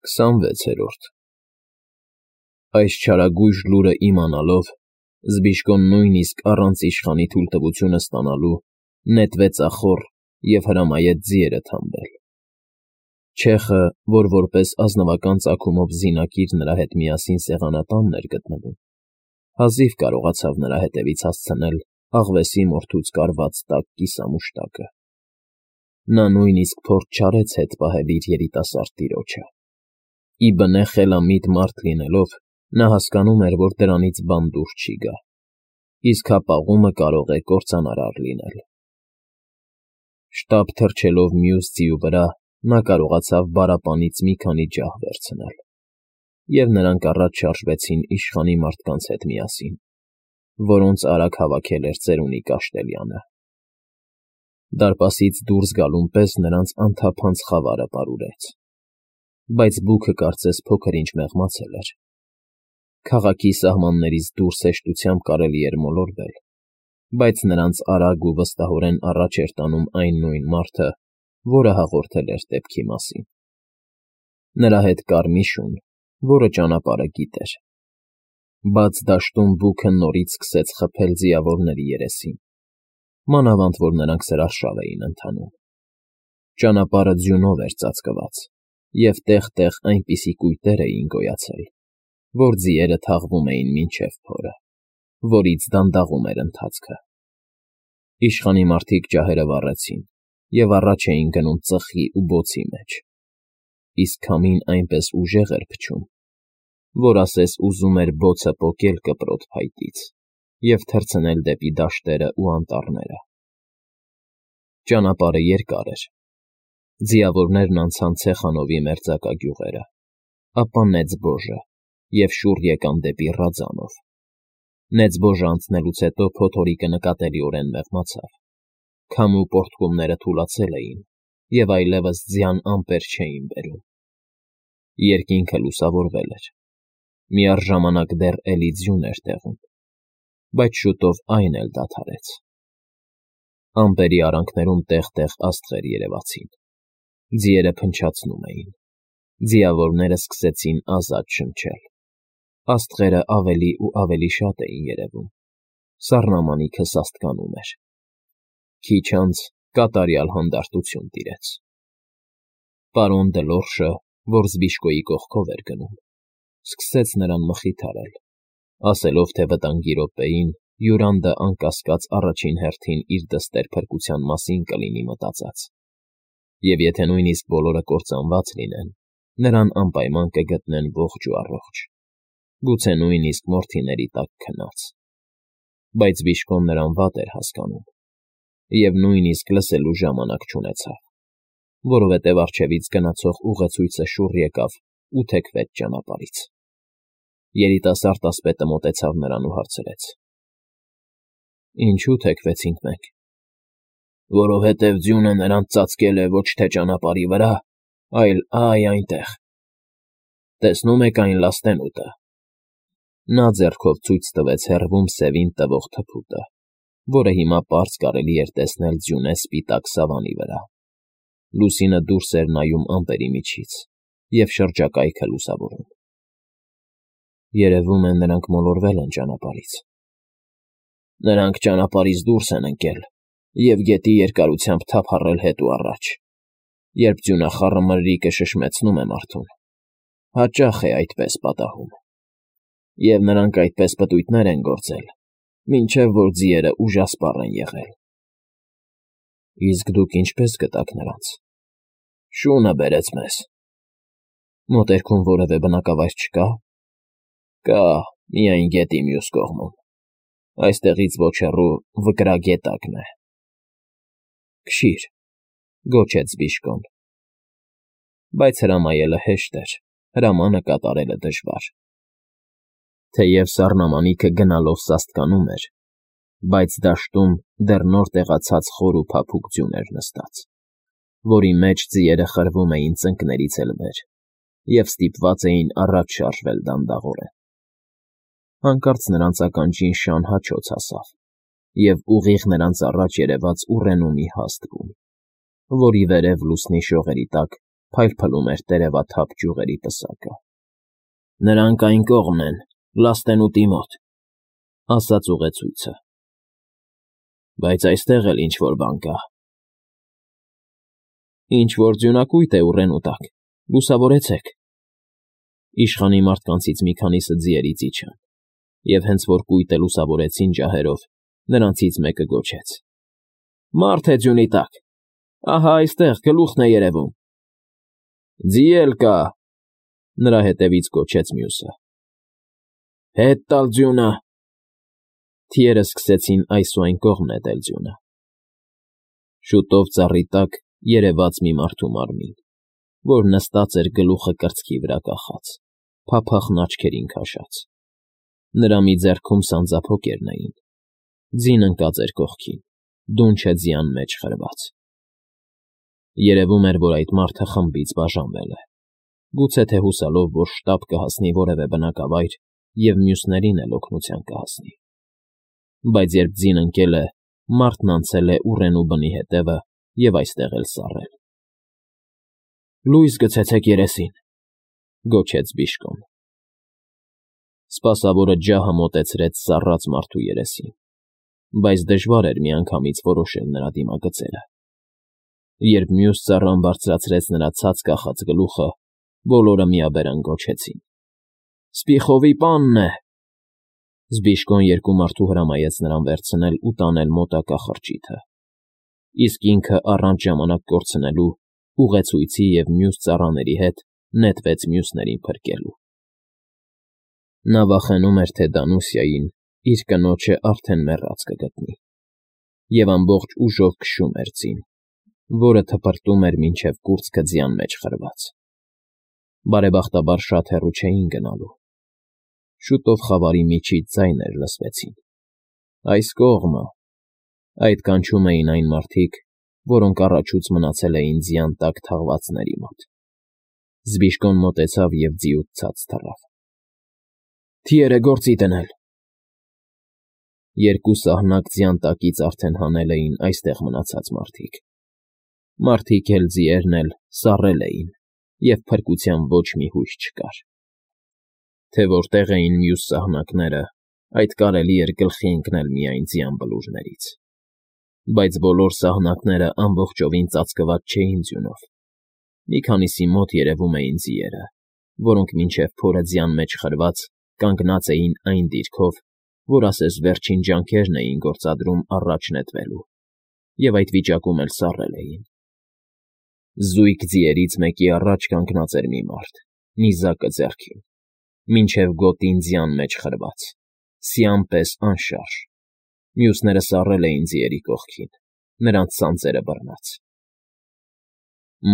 26-րդ Այս չարագույժ լուրը իմանալով, Զբիշկոն նույնիսկ առանց իշխանի թույլտվությունը ստանալու նետվեց ախոռ և հրամայեց ձիերը թամբել։ Չեխը, որ որպես ազնվական ծագումով զինակիր նրա հետ միասին սեղանատանն էր գտնվում, հազիվ կարողացավ նրա հետևից հասցնել աղվեսի մորթուց կարված տաք կիսամուշտակը։ Նա նույնիսկ փորձ չարեց հետ պահել իր երիտասարդ տիրոջը։ Ի բնե խելամիտ մարդ լինելով, նա հասկանում էր, որ դրանից բան դուրս չի գա, իսկ հապաղումը կարող է կործանարար լինել։ Շտապ թռչելով մյուս ձիու վրա, նա կարողացավ բառապանից մի քանի ջահ վերցնել, և նրանք առաջ շարժվեցին իշխանի մարդկանց հետ միասին, որոնց արագ հավաքել էր ծերունի Կաշտելյանը։ Դարպասից դուրս գալուն պես նրանց անթափանց խավարը պարուրեց, բայց բուքը կարծես փոքր-ինչ մեղմացել էր։ Քաղաքի սահմաններից դուրս հեշտությամբ կարելի էր մոլորվել, բայց նրանց արագ ու վստահորեն առաջ էր տանում այն նույն մարդը, որը հաղորդել էր դեպքի մասին։ Նրա հետ կար մի շուն, որը ճանապարհը գիտեր։ Բաց դաշտում բուքը նորից սկսեց խփել ձիավորների երեսին, մանավանդ որ նրանք սրարշավ էին ընթանում։ Ճանապարհը ձյունով էր ծածկված, և տեղ֊տեղ այնպիսի կույտեր էին գոյացել, որ ձիերը թաղվում էին մինչև փորը, որից դանդաղում էր ընթացքը։ Իշխանի մարդիկ ջահերը վառեցին և առաջ էին գնում ծխի ու բոցի մեջ, իսկ քամին այնպես ուժեղ էր փչում, որ ասես ուզում էր բոցը պոկել կպրոտ փայտից և թռցնել դեպի դաշտերն ու անտառները։ Ճանապարհը երկար էր։ Ձիավորներն անցան Ցեխանովի մերձակա գյուղերը, ապա Նեծբոժը և շուռ եկան դեպի Ռաձանով։ Նեծբոժը անցնելուց հետո փոթորիկը նկատելիորեն մեղմացավ, քամու պոռթկումները թուլացել էին և այլևս ձյան ամպեր չէին բերում։ Երկինքը լուսավորվել էր, միառժամանակ դեռ էլի ձյուն էր տեղում, բայց շուտով այն էլ դադարեց։ Ամպերի արանքներում տեղ֊տեղ աստղեր երևացին։ Ձիերը փնչացնում էին։ Ձիավորները սկսեցին ազատ շնչել։ Աստղերը ավելի ու ավելի շատ էին երևում։ Սառնամանիքը սաստկանում էր։ Քիչ անց կատարյալ հանդարտություն տիրեց։ Պարոն Դլորշը, որ Զբիշկոյի կողքով էր գնում, սկսեց նրան մխիթարել, ասելով, թե վտանգի րոպեին Յուրանդը անկասկած առաջին հերթին իր դստեր փրկության մասին կլինի մտածած, և եթե նույնիսկ բոլորը կործանված լինեն, նրան անպայման կգտնեն ողջ ու առողջ, գուցե նույնիսկ մորթիների տակ քնած։ Բայց Բիշկոն նրան վատ էր հասկանում և նույնիսկ լսելու ժամանակ չունեցավ, որովհետև առջևից գնացող ուղեցույցը շուռ եկավ ու թեքվեց ճանապարհից։ Երիտասարդ ասպետը մոտեցավ նրան ու հարցրեց. Ինչու թեքվեցինք մենք։ Որովհետև ձյունը նրանց ծածկել է ոչ թե ճանապարհի վրա, այլ այնտեղ։ Տեսնում եք այն լաստենուտը։ Նա ձեռքով ցույց տվեց հեռվում սևին տվող թփուտը, որը հիմա պարզ կարելի էր տեսնել ձյունե սպիտակ սավանի վրա։ Լուսինը դուրս էր նայում ամպերի միջից և շրջակայքը լուսավորում։ Երևում է, նրանք մոլորվել են ճանապարհից։ Նրանք ճանապարհից դուրս են ընկել և գետի երկարությամբ թափառել հետ ու առաջ, երբ ձյունախառը մրրիկը շշմեցնում է մարդուն։ Հաճախ է այդպես պատահում։ Եվ նրանք այդպես պտույտներ են գործել, մինչև որ ձիերը ուժասպառ են եղել։ Իսկ դուք ինչպե՞ս գտաք նրանց։ Շունը բերեց մեզ։ Մոտերքում որևէ բնակավայր չկա։ Կա, միայն գետի մյուս կողմում։ Այստեղից ոչ հեռու Վկրագետակն է։ Քշի՛ր, գոչեց Զբիշկոն։ Բայց հրամայելը հեշտ էր, հրամանը կատարելը դժվար։ Թեև սառնամանիքը գնալով սաստկանում էր, բայց դաշտում դեռ նոր տեղացած խոր ու փափուկ ձյուն էր նստած, որի մեջ ձիերը խրվում էին ծնկներից էլ վեր և ստիպված էին առաջ շարժվել դանդաղորեն։ Հանկարծ նրանց ականջին շան հաչոց հասավ, և ուղիղ նրանց առաջ երևաց ուռենու մի հաստ բուն, որի վերև լուսնի շողերի տակ փայլփլում էր տերևաթափ ճյուղերի պսակը։ Նրանք այն կողմն են, լաստենուտի մոտ, ասաց ուղեցույցը։ Բայց այստեղ էլ ինչ-որ բան կա։ Ինչ-որ ձյունակույտ է ուռենու տակ, լուսավորեցեք։ Իշխանի մարդկանցից մի քանիսը ձիերից իջան, և հենց որ կույտը լուսավորեցին ջահերով, նրանցից մեկը գոչեց. Մարդ է ձյունի տակ, ահա այստեղ գլուխն է երևում։ Ձի էլ կա, նրա հետևից գոչեց մյուսը։ Հետ տալ ձյունը։ Թիերը սկսեցին այս ու այն կողմ նետել ձյունը։ Շուտով ծառի տակ երևաց մի մարդու մարմին, որ նստած էր գլուխը կրծքի վրա կախած, փափախն աչքերին քաշած։ Նրա մի ձեռքում սանձափոկերն էին, ձին ընկած էր կողքին, դունչը ձյան մեջ խրված։ Երևում էր, որ այդ մարդը խմբից բաժանվել է, գուցե թե հուսալով, որ շտապ կհասնի որևէ բնակավայր և մյուսներին էլ օգնության կհասնի։ Բայց երբ ձին ընկել է, մարդն անցել է ուռենու բնի հետևը և այստեղ էլ սառել։ Լույս գցեցեք երեսին, գոչեց Բիժկոն։ Սպասավորը ջահը մոտեցրեց սառած մարդու երեսին, բայց դժվար էր միանգամից որոշել նրա դիմագծերը։ Երբ մյուս ծառան բարձրացրեց նրա ցած կախած գլուխը, բոլորը միաբերան գոչեցին. Սպիխովի պանն է։ Զբիժկոն երկու մարդու հրամայեց նրան վերցնել ու տանել մոտակա խրճիթը, իսկ ինքը առանց ժամանակ կորցնելու ուղեցույցի և մյուս ծառաների հետ նետվեց մյուսներին փրկելու։ Նա վախենում էր, թե Դանուսիային իր կնոջը արդեն մեռած կգտնի, և ամբողջ ուժով քշում էր ձին, որը թպրտում էր մինչև կուրծքը ձյան մեջ խրված։ Բարեբախտաբար շատ հեռու չէին գնալու։ Շուտով խավարի միջից ձայներ լսվեցին. Այս կողմը։ Այդ կանչում էին այն մարդիկ, որոնք առաջուց մնացել էին ձյան տակ թաղվածների մոտ։ Զբիժկոն մոտեցավ և ձիուց ցած թռավ։ Թիերը գործի դնել։ Երկու սահնակ ձյան տակից արդեն հանել էին այստեղ մնացած մարդիկ։ Մարդիկ էլ ձիերն էլ սառել էին, և փրկության ոչ մի հույս չկար։ Թե որտեղ էին մյուս սահնակները, այդ կարելի էր գլխի ընկնել միայն ձյան բլուրներից։ Բայց բոլոր սահնակները ամբողջովին ծածկված չէին ձյունով։ Մի քանիսի մոտ երևում էին ձիերը, որոնք մինչև փորը ձյան մեջ խրված կանգնած էին այն դիրքով, որ ասես վերջին ջանքերն էին գործադրում առաջ նետվելու, և այդ վիճակում էլ սառել էին։ Զույգ ձիերից մեկի առաջ կանգնած էր մի մարդ, նիզակը ձեռքին, մինչև գոտին ձյան մեջ խրված, սյան պես անշարժ։ Մյուսները սառել էին ձիերի կողքին, նրանց սանձերը բռնած։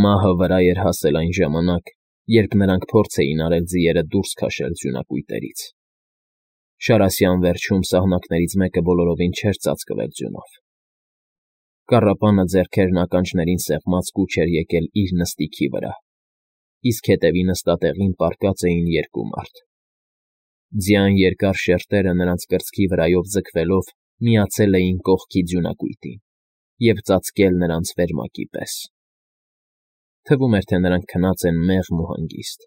Մահը վրա էր հասել այն ժամանակ, երբ նրանք փորձ էին արել ձիերը դուրս քաշել ձյունակույտերից։ Շարասյան վերջում սահնակներից մեկը բոլորովին չէր ծածկվել ձյունով։ Կառապանը ձեռքերն ականջներին սեղմած կուչ էր եկել իր նստիքի վրա, իսկ հետևի նստատեղին պառկած էին երկու մարդ։ Ձյան երկար շերտերը նրանց կրծքի վրայով ձգվելով միացել էին կողքի ձյունակույտին և ծածկել նրանց վերմակի պես։ Թվում էր, թե նրանք քնած են մեղմ ու հանգիստ։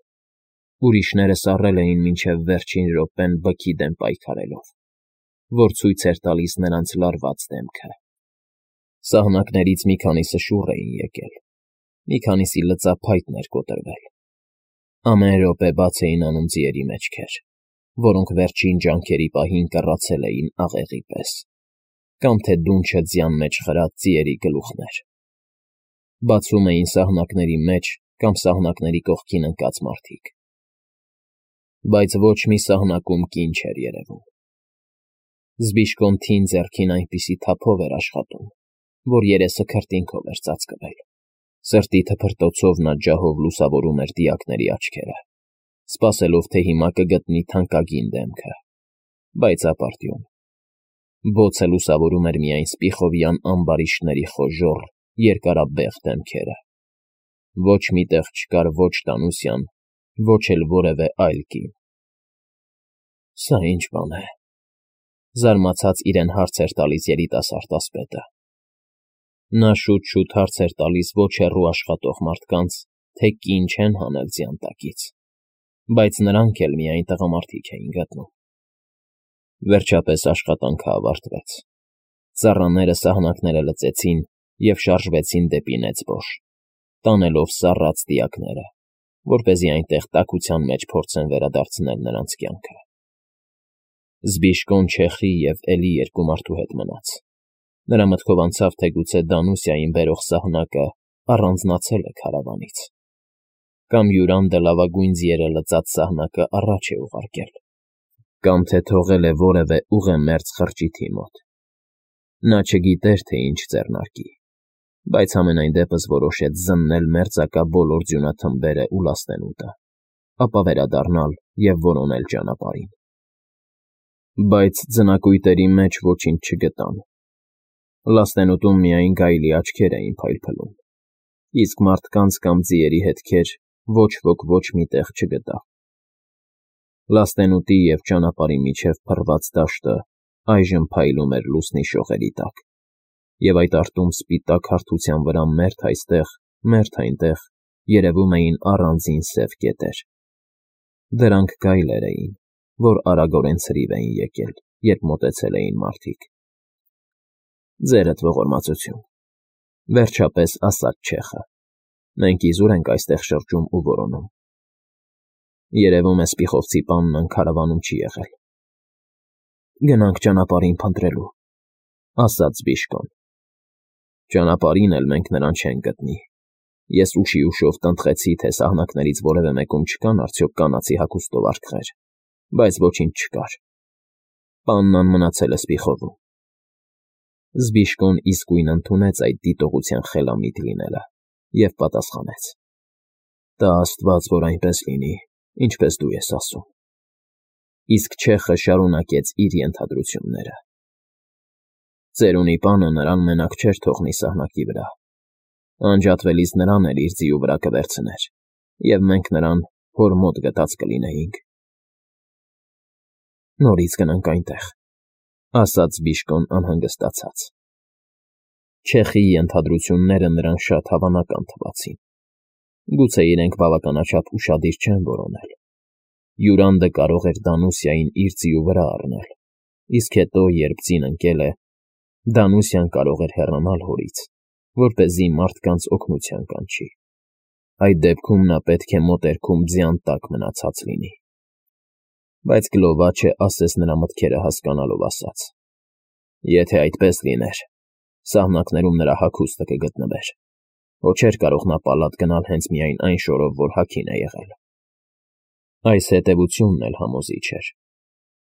Ուրիշները սառել էին մինչև վերջին րոպեն բքի դեմ պայքարելով, որ ցույց էր տալիս նրանց լարված դեմքը։ Սահնակներից մի քանիսը շուռ էին եկել, մի քանիսի լծափայտն էր կոտրվել։ Ամեն րոպե բաց էին անում ձիերի մեջքեր, որոնք վերջին ջանքերի պահին կռացել էին աղեղի պես, կամ թե դունչը ձյան մեջ խրած ձիերի գլուխներ։ Բացում էին սահնակների մեջ կամ սահնակների կողքին ընկած մարդիկ։ Բայց ոչ մի սահնակում կին չէր երևում։ Զբիժկոն թին ձեռքին այնպիսի թափով էր աշխատում, որ երեսը քրտինքով էր ծածկվել։ Սրտի թփրտոցով նա ջահով լուսավորում էր դիակների աչքերը, սպասելով, թե հիմա կգտնի թանկագին դեմքը, բայց ապարդյուն։ Բոցը լուսավորում էր միայն սպիխովյան ամբարիշտների խոժոռ, երկարաբեղ դեմքերը։ Ոչ մի տեղ չկար ոչ Դանուսյան, ոչ էլ որևէ այլ կին։ Սա ի՞նչ բան է, զարմացած իրեն հարց էր տալիս երիտասարդ ասպետը։ Նա շուտ֊շուտ հարց էր տալիս ոչ հեռու աշխատող մարդկանց թե կին չեն հանել ձյան տակից, բայց նրանք էլ միայն տղամարդիկ էին գտնում։ Վերջապես աշխատանքը ավարտվեց։ Ծառաները սահնակները լծեցին և շարժվեցին դեպի Նեծբոշ, տանելով սառած դիակները, որպեսզի այնտեղ տաքության մեջ փորձեն վերադարձնել նրանց կյանքը։ Զբիշկոն Չեխի և էլի երկու մարդու հետ մնաց։ Նրա մտքով անցավ, թե գուցե Դանուսիային բերող սահնակը առանձնացել է քարավանից, կամ Յուրանդը լավագույն ձիերը լծած սահնակը առաջ է ուղարկել, կամ թե թողել է որևէ ուղեմերձ խրճիթի մոտ։ Նա չգիտեր, թե ինչ ձեռնարկի, բայց համենայն դեպս որոշեց զննել մերձակա բոլոր ձյունաթմբերն ու լաստենուտը, ապա վերադառնալ և որոնել ճանապարհին։ Բայց ձնակույտերի մեջ ոչինչ չգտան։ Լաստենուտում միայն գայլի աչքեր էին փայլփլում, իսկ մարդկանց կամ ձիերի հետքեր ոչ ոք ոչ մի տեղ չգտավ։ Լաստենուտի և ճանապարհի միջև փռված դաշտը այժմ փայլում էր լուսնի շողերի տակ, և այդ արտում սպիտակ հարթության վրա մերթ այստեղ, մերթ այնտեղ երևում էին առանձին սև կետեր։ Դրանք գայլեր էին, որ արագորեն ցրիվ էին եկել, երբ մոտեցել էին մարդիկ։ Ձերդ ողորմածություն, վերջապես ասաց Չեխը, մենք իզուր ենք այստեղ շրջում ու որոնում։ Երևում է սպիխովցի պաննան քարավանում չի եղել։ Գնանք ճանապարհին փնտրելու, ասաց Զբիշկոն։ Ճանապարհին էլ մենք նրան չենք գտնի։ Ես ուշիուշով տնտղեցի, թե սահնակներից որևէ մեկում չկան արդյոք կանացի հագուստով արկղեր, բայց ոչինչ չկար։ Պաննան մնացել է Սպիխովում։ Զբիշկոն իսկույն ընդունեց այդ դիտողության խելամիտ լինելը և պատասխանեց. Տա Աստված, որ այնպես լինի, ինչպես դու ես ասում։ Իսկ Չեխը շարունակեց իր ենթադրությունները. Ծերունի պանը նրան մենակ չէր թողնի սահնակի վրա։ Անջատվելիս նրան էլ իր ձիու վրա կվերցներ, և մենք նրան հոր մոտ գտած կլինեինք։ Նորից գնանք այնտեղ, ասաց Զբիշկոն անհանգստացած։ Չեխի ենթադրությունները նրան շատ հավանական թվացին։ Գուցե իրենք բավականաչափ ուշադիր չեն որոնել։ Յուրանդը կարող էր Դանուսիային իր ձիու վրա առնել, իսկ հետո, երբ ձին ընկել է, Դանուսիան կարող էր հեռանալ հորից, որպեսզի մարդկանց օգնության կանչի։ Այդ դեպքում նա պետք է մոտերքում ձյան տակ մնացած լինի։ Բայց Գլովաչը ասես նրա մտքերը հասկանալով ասաց. Եթե այդպես լիներ, սահնակներում նրա հագուստը կգտնվեր, հո չէր կարող նա պալատ գնալ հենց միայն այն շորով, որ հագին է եղել։ Այս հետևությունն էլ համոզիչ էր,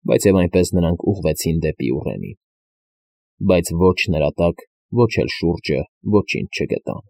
բայց և այնպես նրանք ուղղվեցին դեպի ուռենին, բայց ոչ նրա տակ, ոչ էլ շուրջը ոչինչ չգտան։